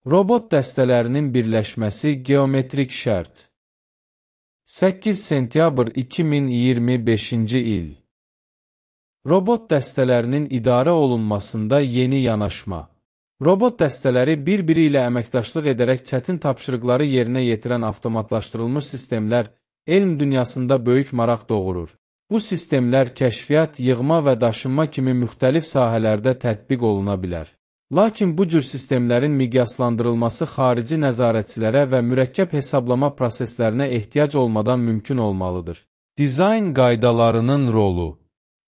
Robot dəstələrinin birləşməsi geometrik şərt. 8 sentyabr 2025-ci il. Robot dəstələrinin idarə olunmasında yeni yanaşma. Robot dəstələri bir-biri ilə əməkdaşlıq edərək çətin tapşırıqları yerinə yetirən avtomatlaşdırılmış sistemlər elm dünyasında böyük maraq doğurur. Bu sistemlər kəşfiyyat, yığma və daşınma kimi müxtəlif sahələrdə tətbiq oluna bilər. Lakin bu cür sistemlərin miqyaslandırılması xarici nəzarətçilərə və mürəkkəb hesablama proseslərinə ehtiyac olmadan mümkün olmalıdır. Dizayn qaydalarının rolu.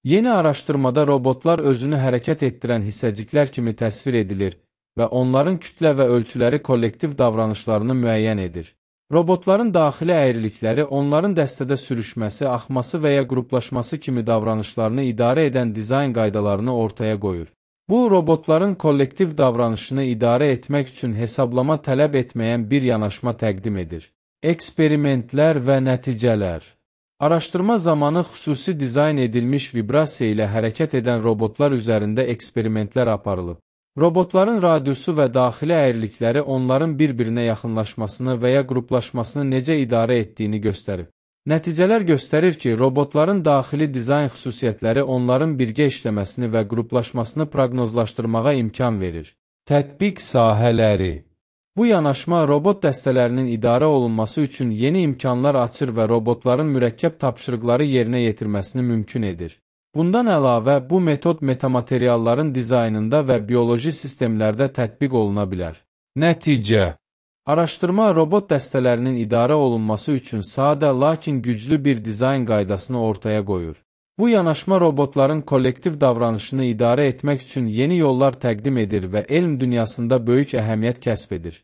Yeni araşdırmada robotlar özünü hərəkət etdirən hissəciklər kimi təsvir edilir və onların kütlə və ölçüləri kollektiv davranışlarını müəyyən edir. Robotların daxili əyrilikləri onların dəstədə sürüşməsi, axması və ya qruplaşması kimi davranışlarını idarə edən dizayn qaydalarını ortaya qoyur. Bu, robotların kollektiv davranışını idarə etmək üçün hesablama tələb etməyən bir yanaşma təqdim edir. Eksperimentlər və nəticələr. Araşdırma zamanı xüsusi dizayn edilmiş vibrasiya ilə hərəkət edən robotlar üzərində eksperimentlər aparılıb. Robotların radiusu və daxili əyrilikləri onların bir-birinə yaxınlaşmasını və ya qruplaşmasını necə idarə etdiyini göstərib. Nəticələr göstərir ki, robotların daxili dizayn xüsusiyyətləri onların birgə işləməsini və qruplaşmasını proqnozlaşdırmağa imkan verir. Tətbiq sahələri. Bu yanaşma robot dəstələrinin idarə olunması üçün yeni imkanlar açır və robotların mürəkkəb tapşırıqları yerinə yetirməsini mümkün edir. Bundan əlavə, bu metod metamaterialların dizaynında və bioloji sistemlərdə tətbiq oluna bilər. Nəticə. Araşdırma robot dəstələrinin idarə olunması üçün sadə, lakin güclü bir dizayn qaydasını ortaya qoyur. Bu yanaşma robotların kollektiv davranışını idarə etmək üçün yeni yollar təqdim edir və elm dünyasında böyük əhəmiyyət kəsb edir.